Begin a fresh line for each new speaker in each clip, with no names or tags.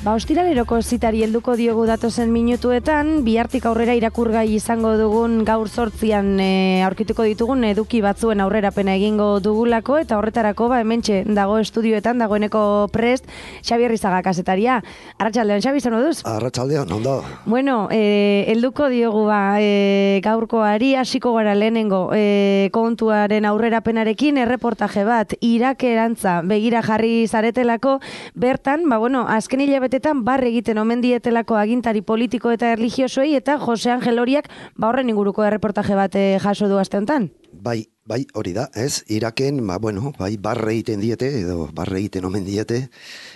Ostiraleroko zitari helduko diogu datozen minutuetan, bihartik aurrera irakurgai izango dugun gaur 8an aurkituko ditugun eduki batzuen aurrerapena egingo dugulako, eta horretarako hementxe dago estudioetan dagoeneko prest Xabi Arrizaga kazetaria. Arratsaldeon, Xabi, zer moduz?
Arratsaldeon, ondo.
Bueno, helduko diogu gaurkoari, hasiko gara lehenengo kontuaren aurrerapenarekin, erreportaje bat Irakerantza begira jarri zaretelako, bertan, azken hilabetetan barre egiten omen dietelako agintari politiko eta erlijiosoei, eta Jose Angel Oriak horren inguruko erreportaje bat jaso du aste honetan.
Bai, hori da, ez? Iraken, barre egiten diete, edo barre egiten omen diete,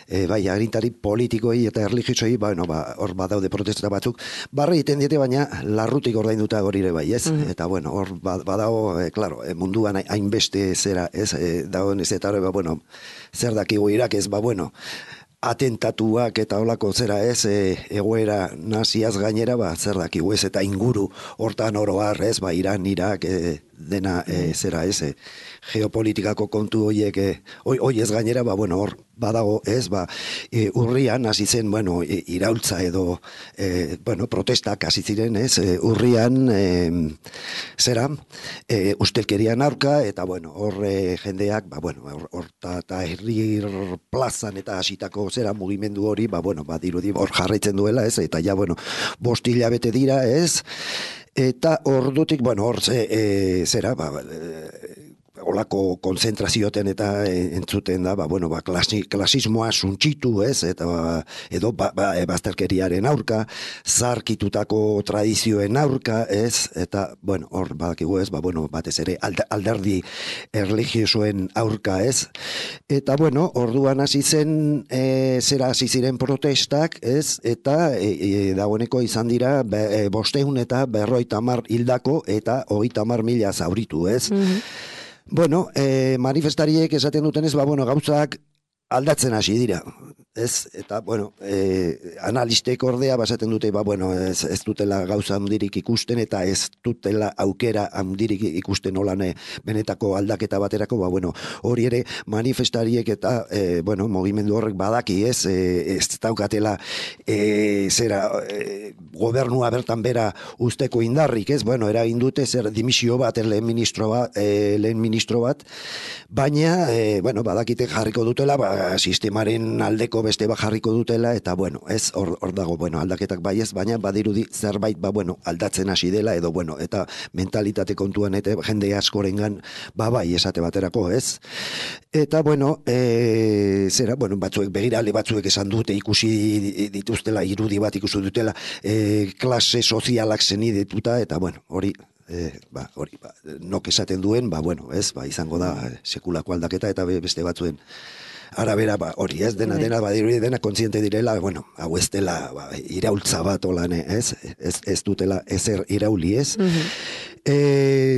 agintari politikoei eta erlijiosoei, hor badaude protesta batzuk, barre egiten diete, baina larrutik ordainduta hori ere bai, ez? Eta, hor badago, munduan hainbeste zera, ez? Dagoen ez eta hori, zer dakigu Irak ez, atentatuak eta holako zera ez, egoera naziaz gainera, zer dakigu ez, eta inguru hortan oroar ez, Iran, Irak, dena zera ez, geopolitikako kontu horiek, hoi ez gainera, hor badago ez, urrian hasi zen, iraultza edo, protestak hasi ziren ez, urrian, zera, ustelkerian aurka, eta hor jendeak, hor eta herri plazan eta hasitako zera mugimendu hori, dirudi hor jarraitzen duela ez, eta ja, 5 hilabete dira ez, eta ordutik, hor zera, olako konzentrazioten eta entzuten da, klasismoa suntxitu, ez, eta edo bazterkeriaren aurka, zarkitutako tradizioen aurka, ez, eta, hor badakigu ez, batez ere alderdi erlijiosoen aurka, ez, eta, orduan hasi zen, hasi ziren protestak, ez, eta dagoeneko izan dira 500 eta 50 hildako eta 30.000 zauritu, ez. Manifestariek esaten dutenez, gauzak aldatzen hasi dira, ez, eta, analistek ordea basaten dute, ez dutela gauza handirik ikusten, eta ez dutela aukera handirik ikusten olan benetako aldaketa baterako, hori ere manifestariek eta, mugimendu horrek badaki, ez daukatela, gobernua bertan bera usteko indarrik, ez, eragin dute zer dimisio bat, lehen ministro bat, baina, badakite jarriko dutela, sistemaren aldeko beste jarriko dutela, eta, ez, hor dago, aldaketak bai ez, baina badirudi zerbait, aldatzen hasi dela, edo, eta mentalitate kontuan, eta jende askorengan, bai, esate baterako, ez. Eta, zera, batzuek, begirale batzuek esan dute, ikusi dituztela, irudi bat ikusi dutela, klase sozialak zenidituta, eta, hori, nok esaten duen, ez, izango da sekulako aldaketa, eta beste batzuen arabera, hori ez, dena kontziente direla, hau ez dela iraultza bat olan, ez dutela ezer irauli, ez.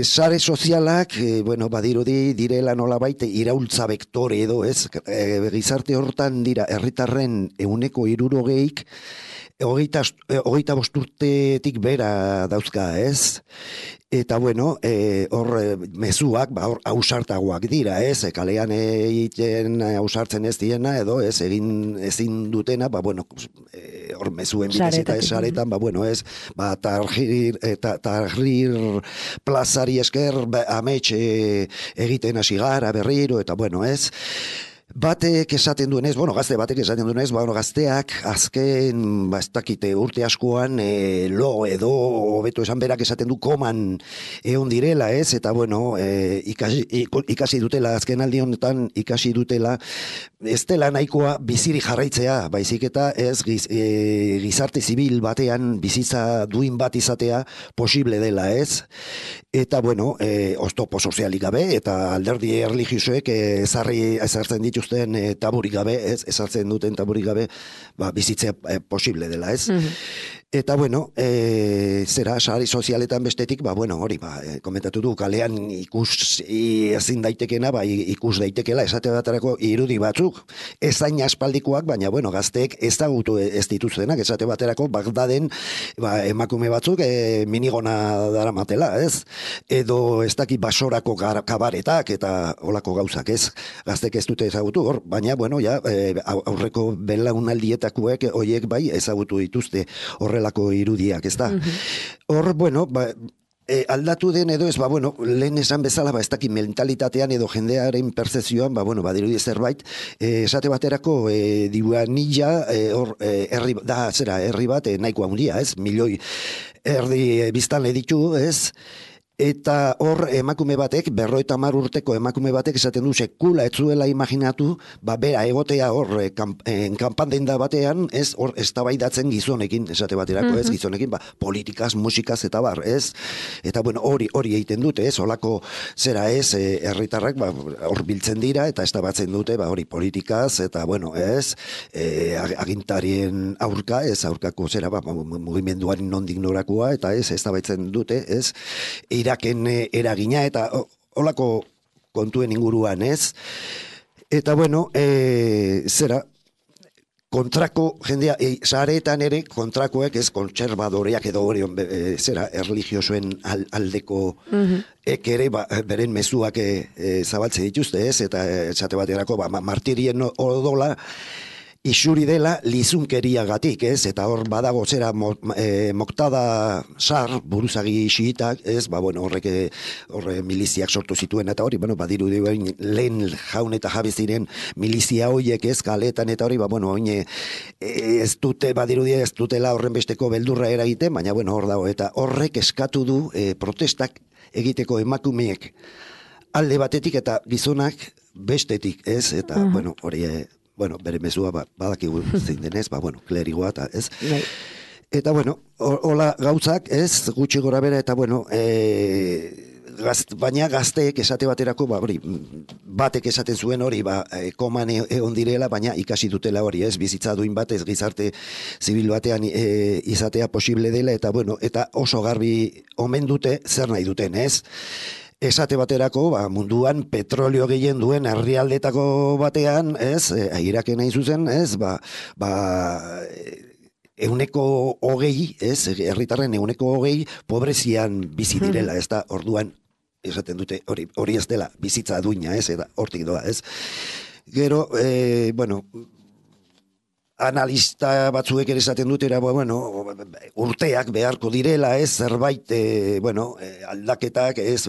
Sare sozialak, badirudi direla nolabait iraultza vektore edo, ez, gizarte hortan dira herritarren 60%, 25 urtetik bera dauzka, ez? Eta, hor mezuak, hor ausartagoak dira, ez? Kalean egiten ausartzen ez diena, edo ez egin ezin dutena, hor mezuen bitez eta esaretan, ez? Tahrir plazari esker, amets egiten hasi gara berriro, eta, ez? Batek esaten duenez, gazte batek esaten duenez, gazteak azken, ez dakite urte askoan, lo edo, hobeto esan berak esaten du koman egon direla, ez? Eta, ikasi dutela, azken aldi honetan ikasi dutela, ez dela nahikoa biziri jarraitzea, baizik eta ez gizarte zibil batean bizitza duin bat izatea posible dela, ez? Eta, oztopo sozialik gabe, eta alderdi erlijiosoek ezartzen dituzten taburik gabe, ezartzen duten taburik gabe, bizitzea posible dela, ez? Eta bueno, zera sare sozialetan bestetik, bueno, hori, komentatu du, kalean ezin daitekena, ikus daitekela, esate baterako irudi batzuk, ezain aspaldikoak, baina bueno, gazteek ezagutu ez dituztenak, esate baterako Bagdaden, emakume batzuk minigona daramatela, ez? Edo ez daki basorako kabaretak eta olako gauzak, ez? Gazteek ez dute ezagutu hor, baina bueno, ja, aurreko belaunaldietakoek hoiek bai ezagutu dituzte horrelako irudiak, ez da? Hor, bueno, aldatu den edo ez, bueno, lehen esan bezala, ez daki mentalitatean edo jendearen percepzioan, bueno, badirudi zerbait, esate baterako dibuanilla, hor, herri bat, nahiko handia, ez? Milioi erdi biztanle ditu, ez? Eta hor emakume batek, 50 urteko emakume batek esaten du sekula ez zuela imaginatu, bera egotea hor kanpandenda batean, ez hor eztabaidatzen gizonekin, esate baterako, ez gizonekin, politikaz, musikaz eta bar, ez? Eta bueno, hori egiten dute, ez? Holako zera ez, herritarrak hor biltzen dira eta eztabaidatzen dute, hori politikaz eta bueno, ez? Agintarien aurka, ez aurkako zera, mugimenduaren nondik norakoa eta ez eztabaidatzen dute, ez? Iraken eragina eta holako kontuen inguruan, ez? Eta bueno, zera, kontrako jendea, sareetan ere kontrakoek, ez, kontserbadoreak edo hori, zera, erlijiosoen aldeko ere, beren mezuak zabaltze dituzte, ez? Eta esate baterako, martirien odola, isuri dela lizunkeriagatik, ez? Eta hor badago zera Moktada Sar, buruzagi xiitak, ez? Bueno, horre miliziak sortu zituen eta hori, badiru lehen jaun eta jabe ziren milizia hoiek, ez? Kaletan eta hori, bueno, oine ez dutela horren besteko beldurra eragiten, baina bueno, hor dago, eta horrek eskatu du protestak egiteko emakumeek alde batetik eta gizonak bestetik, ez? Eta, bueno, hori bere mezua badakigu zein denez, bueno, klerigoa eta ez. Eta bueno, hola gauzak, ez, gutxi gora bera, eta bueno, baina gazteek esate baterako, batek esaten zuen hori, koman egon direla, baina ikasi dutela hori, ez, bizitza duin batez gizarte zibil batean izatea posible dela, eta bueno, eta oso garbi omen dute zer nahi duten, ez. Esate baterako, munduan petrolio gehien duen herrialdetako batean, ez, Iraken hain zuzen, ez, 20%, ez, herritarren 20% pobrezian bizi direla, ez da, orduan, esaten dute, hori ez dela, bizitza duina, ez, eta hortik doa, ez. Gero, bueno, analista batzuek ere esaten dutera, bueno, urteak beharko direla, ez, zerbait, aldaketak, ez,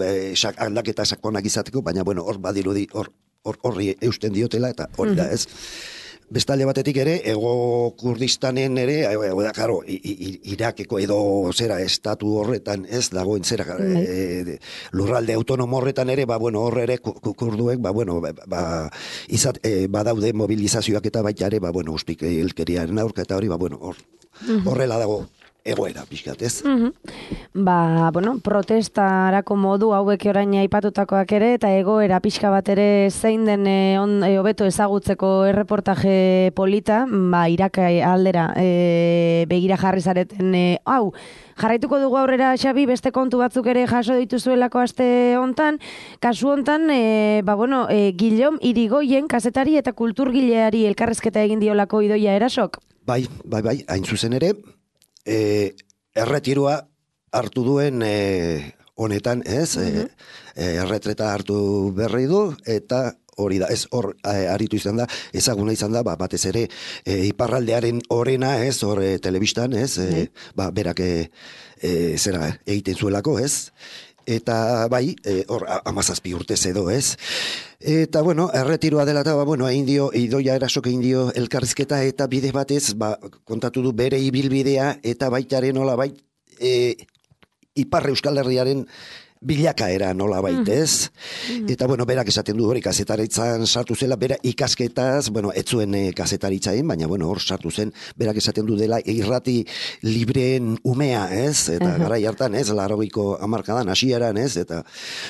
aldaketa sakonak izateko, baina, bueno, hor badirudi, horri eusten diotela, eta hori da, ez. Bestalde batetik ere, Ego Kurdistanen ere, karo, Irakeko edo zera estatu horretan, ez, dagoen zera, lurralde autonomo horretan ere, bueno, horre ere kurduek, badaude mobilizazioak eta baita ere, bueno, uspik elkeriaren aurka eta hori, bueno, horrela dago egoera, pixkat, ez?
Bueno, protestarako modu hauek orain aipatutakoak ere, eta egoera pixka bat ere zein den hobeto ezagutzeko erreportaje polita, Irak aldera begira jarri zareten, jarraituko dugu aurrera, Xabi, beste kontu batzuk ere jaso dituzuelako aste hontan, kasu hontan, Guillaume Irigoyen kazetari eta kulturgileari elkarrezketa egin diolako Idoia Erasok?
Bai, hain zuzen ere, erretiroa hartu duen honetan, ez? Erretreta hartu berri du, eta hori da, ez hor aritu izan da, ezaguna izan da, batez ere iparraldearen orena, ez, hor telebistan, ez, berak zera egiten zuelako, ez? Eta bai, hor 17 urtez edo, ez? Eta, bueno, erretiroa dela eta, Idoia Erasok egin dio elkarrizketa eta bide batez, kontatu du bere ibilbidea eta baitaren nola Ipar Euskal Herriaren bilakaera nola ez? Eta, berak esaten du hori kazetaritzan sartu zela, bera ikasketaz, ez zuen kazetaritzain, baina, hor sartu zen, berak esaten du dela irrati libreen umea, ez? Eta garai hartan, ez? 80ko hamarkadan, hasieran, ez? Eta,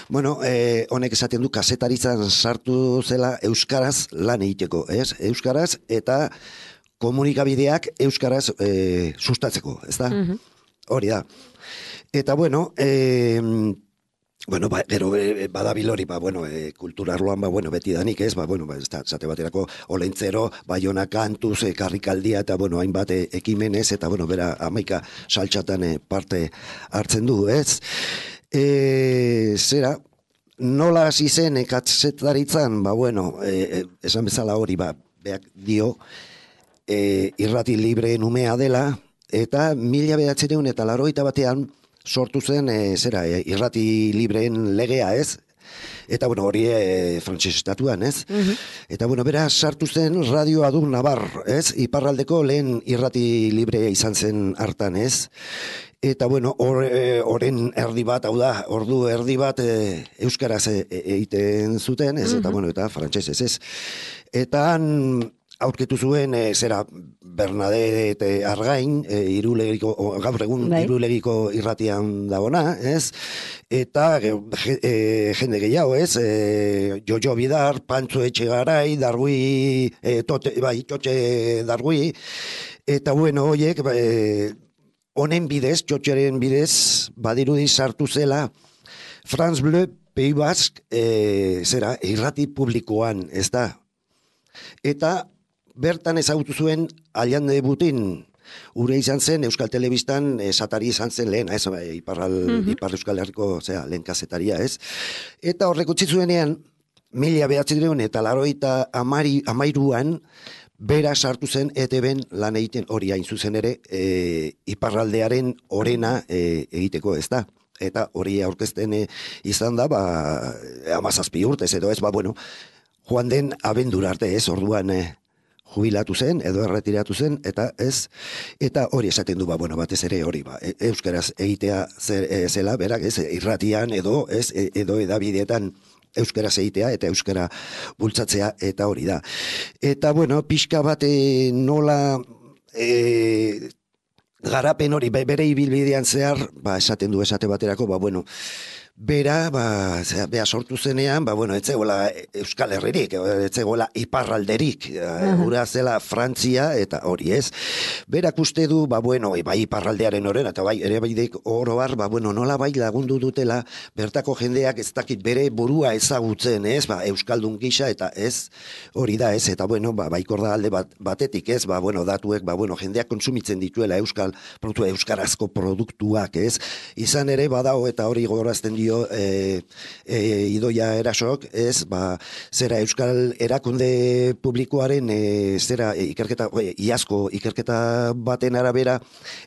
honek esaten du kazetaritzan sartu zela euskaraz lan egiteko, ez? Euskaraz eta komunikabideak euskaraz sustatzeko, ez da? Hori da. Eta bueno, gero badabil hori, kulturarloan, beti danik, ez, zate baterako Olentzero, Baiona kantuz, karrikaldia, eta, hainbat ekimenez, eta, bera, 11 saltxatan parte hartzen du, ez? Zera, nola hasi zen kazetaritzan, esan bezala hori, beak dio, irrati libreen umea dela, eta 1981 sortu zen, irrati libreen legea, ez? Eta, hori frantses estatuan, ez? Eta, bera sartu zen Radio Adun Navar, ez? Iparraldeko lehen irrati librea izan zen hartan, ez? Eta, horren erdi bat, hau da, ordu erdi bat euskaraz egiten zuten, ez? Eta, eta frantsesez, ez? Eta aurketu zuen, Bernadette Argain, gaur egun Irulegiko irratian dagona, ez? Eta jende gehiago, ez? Jojo Bidar, Pantzo Etxegarai, Dargui, Txotxe Dargui, eta horiek, honen bidez, Txotxeren bidez, badirudi sartu zela, France Bleu, Pays Basque, irrati publikoan, ez da? Eta bertan ezagutu zuen Allende Butin, ure izan zen Euskal Telebistan esatari izan zen lehen, ez, Ipar Euskal Herriko lehen kazetaria, ez? Eta horrek utzi zuenean, 1983an, bera sartu zen ETB-en lan egiten hori hain zuzen ere, iparraldearen orena egiteko, ez da? Eta hori aurkezten izan da, 17 urtez, edo ez, joan den abendura arte, ez, orduan jubilatu zen, edo erretiratu zen, eta ez, eta hori esaten du, batez ere hori, euskaraz egitea zela, berak, ez, irratian, edo edabideetan euskaraz egitea, eta euskara bultzatzea, eta hori da. Eta, pixka bat nola garapen hori, bere ibilbidean zehar, esaten du esate baterako, bera, bea sortu zenean, etzegoela Euskal Herririk, etzegoela iparralderik, ura zela Frantzia, eta hori ez. Berak uste du, iparraldearen horren, eta ere baidek oroar, nola lagundu dutela, bertako jendeak ez dakit bere burua ezagutzen, ez, Euskaldun gisa, eta ez, hori da ez, eta baikor da alde batetik, ez, datuek, jendeak kontsumitzen dituela euskarazko produktuak, ez, izan ere badao, eta hori gogorazten dio, Idoia Erasok, ez, zera Euskal Erakunde Publikoaren, ikerketa, iazko ikerketa baten arabera,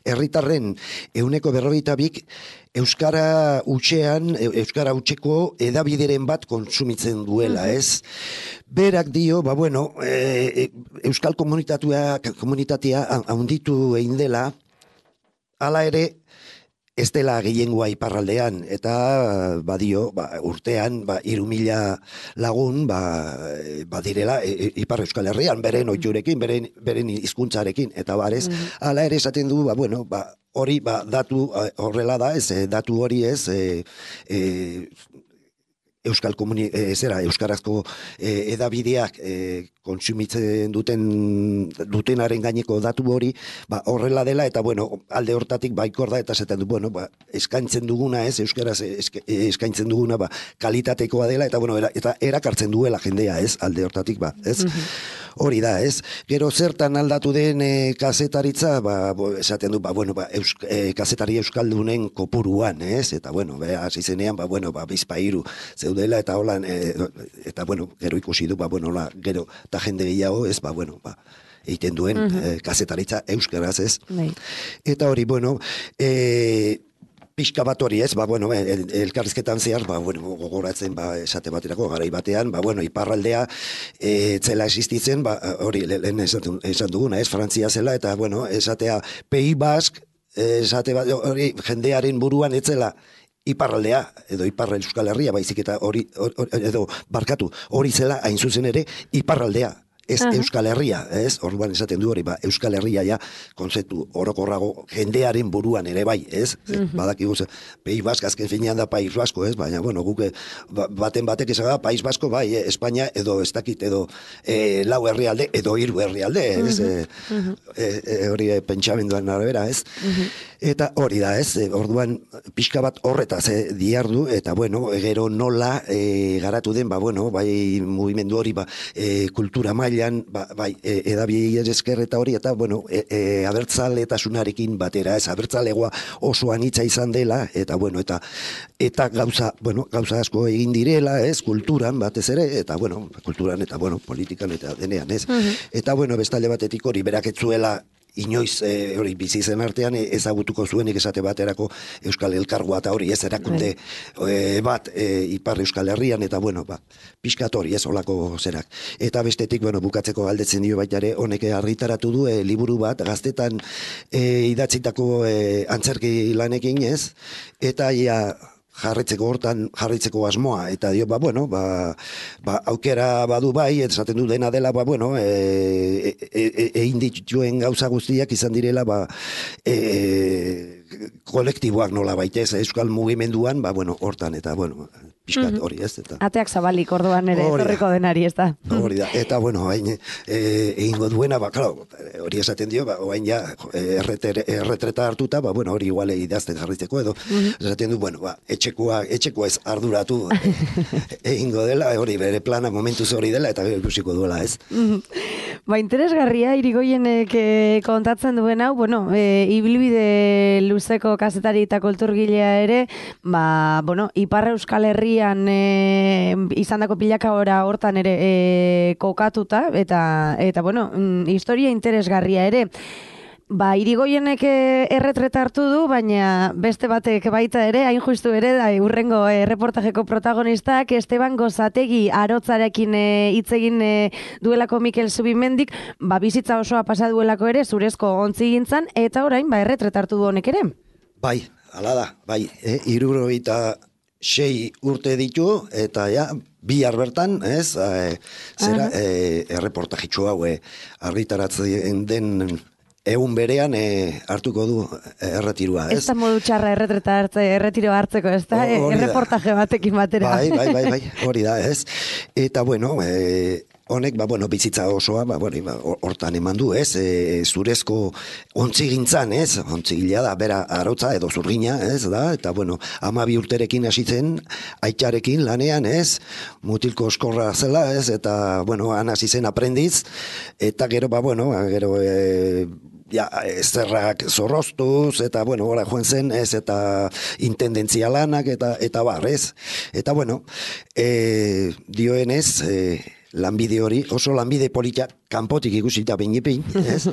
herritarren 42 Euskara hutseko edabideren bat kontsumitzen duela, ez? Berak dio, Euskal komunitatea handitu egin dela, hala ere, ez dela gehiengoa iparraldean, eta badio, urtean, 3.000 lagun, badirela, Ipar Euskal Herrian, beren oiturekin, beren hizkuntzarekin, eta barez, hala ere esaten du, hori, datu horrela da, ez, datu hori ez, euskarazko edabideak kontsumitzen dutenaren gaineko datu hori, horrela dela, eta alde hortatik baikor da, eta zaten du, eskaintzen duguna, ez, euskaraz eskaintzen duguna, kalitatekoa dela, eta erakartzen duela jendea, ez, alde hortatik, ez, hori da, ez, gero zertan aldatu den kazetaritza, esaten du, kazetari euskaldunen kopuruan, ez, eta, hasi zenean, bizpairu zeudela, eta holan, eta, gero ikusi du, gero, eta jende gehiago, ez, egiten duen kazetaritza euskaraz, ez. Eta hori, pixka bat hori, ez, elkarrizketan zehar, gogoratzen, esate baterako, garai batean, iparraldea zela existitzen, hori, lehen esan duguna, ez, Frantzia zela, eta, esatea, Pays Basque, esate bat, hori, jendearen buruan etzela, iparraldea, edo Ipar Euskal Herria, baizik eta hori, edo barkatu, hori zela, hain zuzen ere, iparraldea. ez Euskal Herria, ez? Orduan esaten du hori, Euskal Herria ja kontzeptu orokorrago jendearen buruan ere bai, ez? Badakigu ze País Basko azken finean da País Basko, ez? Baina bueno, guk baten batek esaga País Basko bai, Espainia edo ez dakit edo lau herrialde edo hiru herrialde, ez? Hori pentsamenduan arabera, ez? Eta hori da, ez? Orduan pixka bat horretaz diardu eta bueno, gero nola garatu den, bueno, bai mugimendu hori kultura mailan, bai edabiei esker eta hori eta bueno, abertzaletasunarekin batera, ez? Abertzalegoa oso anitza izan dela eta bueno, eta gauza asko egin direla, ez? Kulturan batez ere eta bueno, kulturan eta bueno, politikan eta denean, ez? Eta bueno, bestalde batetik hori berak ez zuela inoiz hori bizi zen artean ezagutuko zuenik esate baterako Euskal Elkargoa eta hori ez erakunde bat Ipar Euskal Herrian eta bueno, pixkat hori ez olako zerak. Eta bestetik, bueno, bukatzeko galdetzen dio baita ere, honek argitaratu du liburu bat gaztetan idatzitako antzerki lanekin ez, eta jarritzeko asmoa eta dio aukera badu bai, esaten du dena dela egin dituen gauza guztiak izan direla kolektiboak nola baitez Euskal mugimenduan, hortan eta pixkat hori ez eta
ateak zabalik orduan ere etorriko denari ez da.
Hori da, eta hain egingo duena, claro, hori esaten dio, hain ja erretreta hartuta, hori iguale idazten jarritzeko edo, esaten du, etxekoa ez arduratu egingo dela, hori bere plana momentuz hori dela, eta ikusiko duela, ez?
Interesgarria, Irigoienek kontatzen duen hau, ibilbide luzeko kazetari eta kulturgilea ere, Ipar Euskal Herrian izandako pilakahora hortan ere kokatuta, eta historia interesgarria ere. Irigoienek erretreta hartu du, baina beste batek baita ere, hain justu ere, da hurrengo reportajeko protagonistak, Esteban Gozategi arotzarekin hitz egin duelako Mikel Zubimendik, bizitza osoa pasa duelako ere, zurezko ontzigintzan, eta orain, erretreta hartu du honek ere.
Bai, hala da, 76 urte ditu, eta bihar bertan, ez, erreportajitxo hau argitaratzen den egun berean hartuko du erretirua, ez?
Ez da modu txarra erretiro hartzeko, ez da? Erreportaje batekin batera.
Bai, hori da, ez? Eta, honek, bizitza osoa, hortan eman du, ez? Zurezko ontzigintzan, ez? Ontzigilea da, bera arotza edo zurgina, ez da? Eta, 12 urterekin hasi zen, aitzarekin lanean, ez? Mutilko oskorra zela, ez? Eta, han hasi zen aprendiz, eta gero, zerrak zorroztuz, eta, gora joan zen, ez, eta intendentzia lanak, eta bar, ez. Eta, dioenez, lanbide hori, oso lanbide politia kanpotik ikusita behin, ez?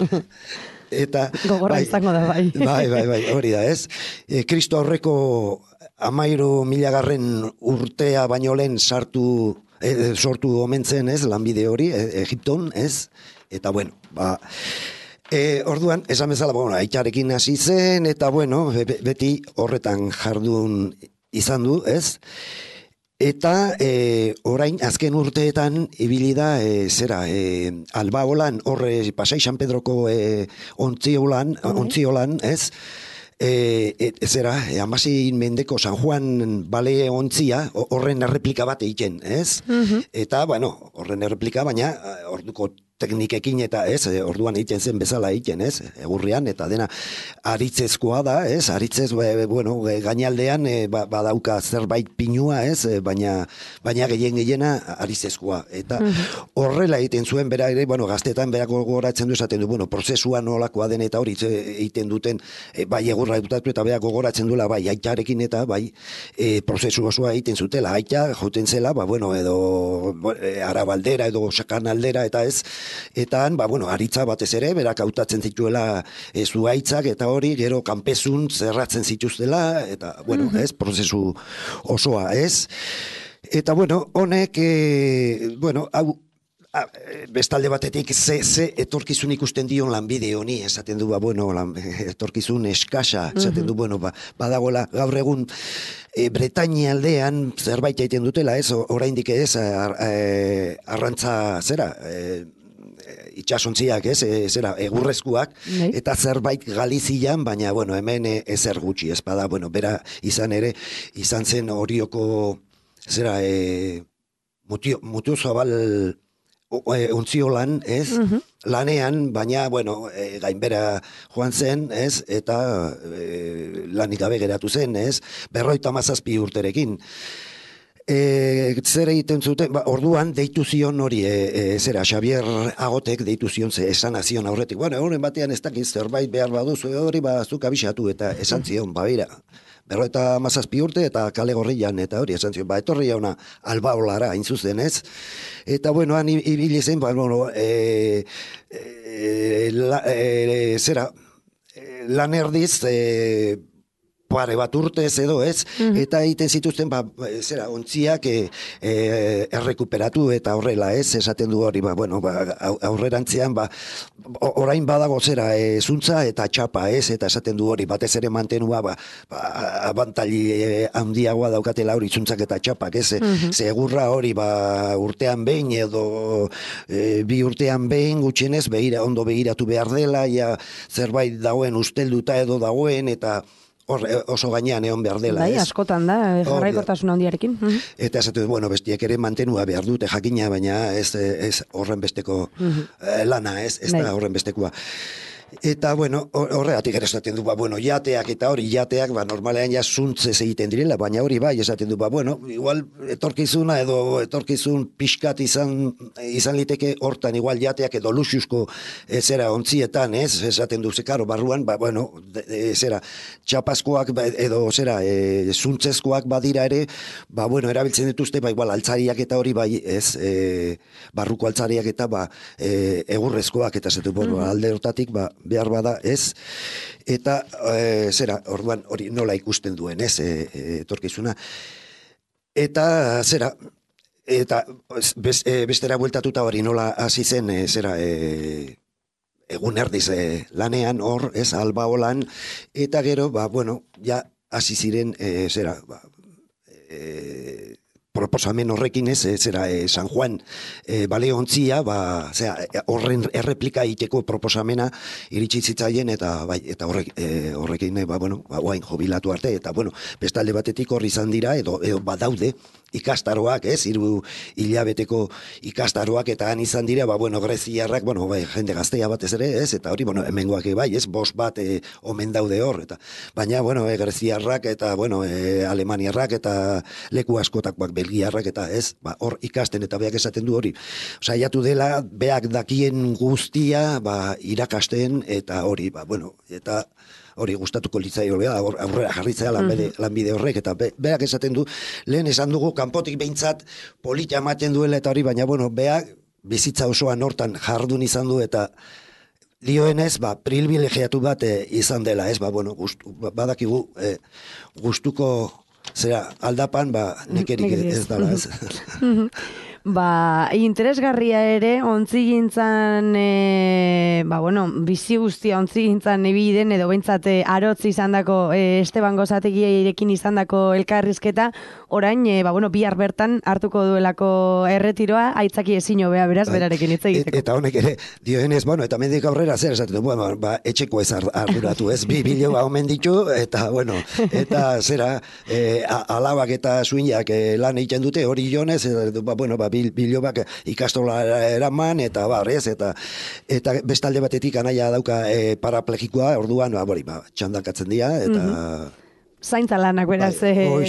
Eta,
gogorra izango da, bai.
Bai, hori da, ez? Kristo aurreko 13.000 urtea baino lehen sortu omen zen, ez? Lanbide hori, Egipton, ez? Eta, orduan, esan bezala, aitzarekin hasi zen, eta, beti horretan jardun izan du, ez? Eta orain azken urteetan ibili da Albaolan, horre Pasai San Pedroko ontziolan, ez? Amasin mendeko San Juan bale ontzia, horren erreplika bat egiten, ez? Eta, horren erreplika, baina orduko teknikekin eta ez, orduan egiten zen bezala egiten, ez, egurrian, eta dena aritzezkoa da, ez, aritzez, gainaldean badauka zerbait pinua, ez, baina gehiena aritzezkoa, eta horrela egiten zuen, bera ere, gaztetan berako gogoratzen du esaten du, prozesua nolakoa den eta hori egiten duten, bai egurra dutatu eta berako gogoratzen duela, bai aitarekin eta bai prozesu osoa egiten zutela, aita joten zela, edo Arabaldera edo Sakanaldera eta ez, eta han, aritza batez ere, berak hautatzen zituela zuaitzak, eta hori, gero kanpezun zerratzen zituztela, eta, ez, prozesu osoa, ez. Eta, honek, hau, bestalde batetik, ze etorkizun ikusten dion lanbide honi, esaten du, etorkizun eskasa, esaten du, badagoela, gaur egun, Bretainia aldean zerbait egiten dutela, ez, oraindik ez, arrantza zera, itxasontziak, ez, zera, egurrezkoak, eta zerbait Galizian, baina, bueno, hemen ezer gutxi, ez bada, bueno, bera izan zen Orioko, zera, Mutio Zabal ontziolan, ez, lanean, baina, bueno, gainbera joan zen, ez, eta lanik gabe geratu zen, ez, 57 urterekin. Zer egiten zuten, orduan deitu zion hori, zera, Xavier Agotek deitu zion, esan azion aurretik, bueno, horren batean ez dakiz zerbait behar baduzu, hori zuk abisatu, eta esan zion, bera, 57 urte eta Kale Gorrian, eta hori esan zion, etorri jauna Albaolara, hain zuzen, ez? Eta, bueno, han ibili zen, bueno, zera, lan erdiz, pare bat urtez edo, ez? Eta egiten zituzten, zera, ontziak errekuperatu eta horrela, ez? Esaten du hori, bueno, aurrerantzean, orain badago zera, zuntza eta txapa, ez? Eta esaten du hori, batez ere mantenua, abantali handiagoa daukatela hori zuntzak eta txapak, ez? Segurra hori, urtean behin edo bi urtean behin gutxienez, ondo begiratu behar dela, ja zerbait dagoen ustelduta edo dagoen, eta oso gainean egon behar dela,
ez? Bai, askotan da, jarraikortasun handiarekin.
Eta esatu, bueno, bestiek ere mantenua behar dute jakina, baina ez horren besteko lana, ez da horren bestekoa. Eta, bueno, horregatik ere esaten du, bueno, jateak eta hori jateak, normalean ja zuntzez egiten direla, baina hori bai, esaten du, bueno, igual etorkizuna edo etorkizun pixkat izan liteke hortan, igual jateak edo luxusko zera ontzietan, ez, esaten du, zekaro, barruan, bueno, zera, txapazkoak edo zera, zuntzezkoak badira ere, bueno, erabiltzen dituzte, igual altzariak eta hori bai, ez, barruko altzariak eta egurrezkoak, eta zetu, alde hortatik, behar bada, ez, eta zera, orduan hori nola ikusten duen, ez, etorkizuna, eta zera, eta bestera bueltatuta hori nola hasi zen, zera, egun erdiz lanean, hor, ez, Albaolan, eta gero, bueno, ja hasi ziren, zera, proposamen horrekin, ez, zera, San Juan baleontzia, horren erreplika egiteko proposamena iritsi zitzaien, eta horrekin, bueno, guain jubilatu arte, eta, bueno, bestalde batetik horri izan dira, edo badaude, ikastaroak, ez, 3 hilabeteko ikastaroak, eta han izan dira, bueno, greziarrak, bueno, jende gaztea batez ere, ez, eta hori, bueno, hemengoak bai, ez, 5 bat omen daude hor, eta, baina, bueno, greziarrak, eta, bueno, alemaniarrak, eta leku askotakoak belgiarrak, eta ez, hor ikasten, eta beak esaten du hori, saiatu dela, beak dakien guztia, irakasten, eta hori, bueno, eta hori gustatuko litzaio, aurrera jarritzea lanbide horrek, eta beak esaten du, lehen esan dugu, kanpotik behintzat polita ematen duela, eta hori, baina, bueno, beak bizitza osoan hortan jardun izan du, eta dioenez, privilegiatu bat izan dela, ez, bueno, badakigu gustuko, zera, aldapan, nekerik ez dala, ez.
Interesgarria ere, ontzigintzan, bueno, bizi guztia ontzigintzan ebiden, edo bentsat arotz izandako Esteban Gozategirekin izandako elkarrizketa, orain, bueno, bihar bertan hartuko duelako erretiroa, aitzaki ezin hobea beraz, berarekin hitz egiteko.
Eta honek ere, dioenez, bueno, eta mendik aurrera zer esaten, bueno, etxeko ez arduratu, ez, 2 biloba omen ditu, eta, bueno, eta zera, alabak eta suinak lan egiten dute, hori jonez, bueno, bilobak ikastola eraman, eta barrez, eta bestalde batetik anaia dauka paraplegikoa, orduan, txandakatzen dira, eta
zaintza lanak beraz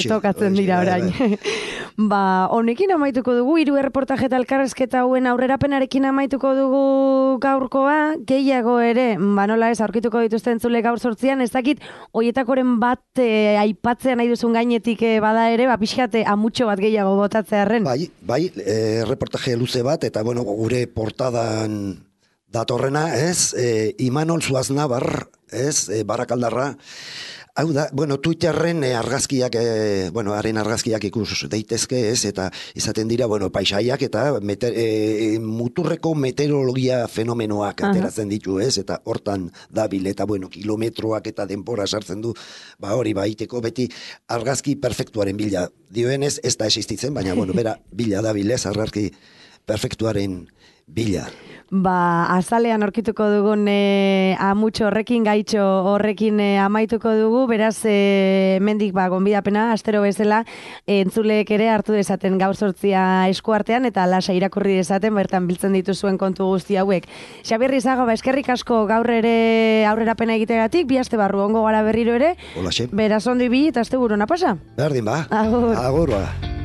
tokatzen dira orain. Honekin amaituko dugu, 3 erreportaje eta elkarrezketa hauen aurrerapenarekin amaituko dugu gaurkoa, gehiago ere, nola ez, aurkituko dituzten entzule gaur 8an, ez dakit, hoietakoren bat aipatzea nahi duzun gainetik bada ere, pixkate amutxo bat gehiago botatzearren.
Bai, erreportaje luze bat, eta bueno, gure portadan datorrena, ez, Imanol Zuaznabar, ez, Barakaldarra, hau da, bueno, Twitterren argazkiak, bueno, haren argazkiak ikus daitezke, ez, eta izaten dira, bueno, paisaiak eta muturreko meteorologia fenomenoak ateratzen ditu, ez, eta hortan dabil, eta, bueno, kilometroak eta denbora sartzen du, hori baiteko beti argazki perfektuaren bila. Dioenez, ez da existitzen, baina, bueno, bera bila dabil, ez, argazki perfektuaren bila.
Azalean aurkituko dugun amutxo horrekin, gaitxo horrekin amaituko dugu, beraz, mendik gonbidapena, astero bezala, entzuleek ere hartu dezaten gaur 8 eskuartean, eta lasa irakurri dezaten, bertan biltzen dituzuen kontu guzti hauek. Xabier Rizaga, eskerrik asko gaur ere aurrerapena egitegatik, bi aste barru ongo gara berriro ere,
Olaxe.
beraz ondo ibili eta asteburu ona pasa.
Berdin ba,
Agur.
Agur ba.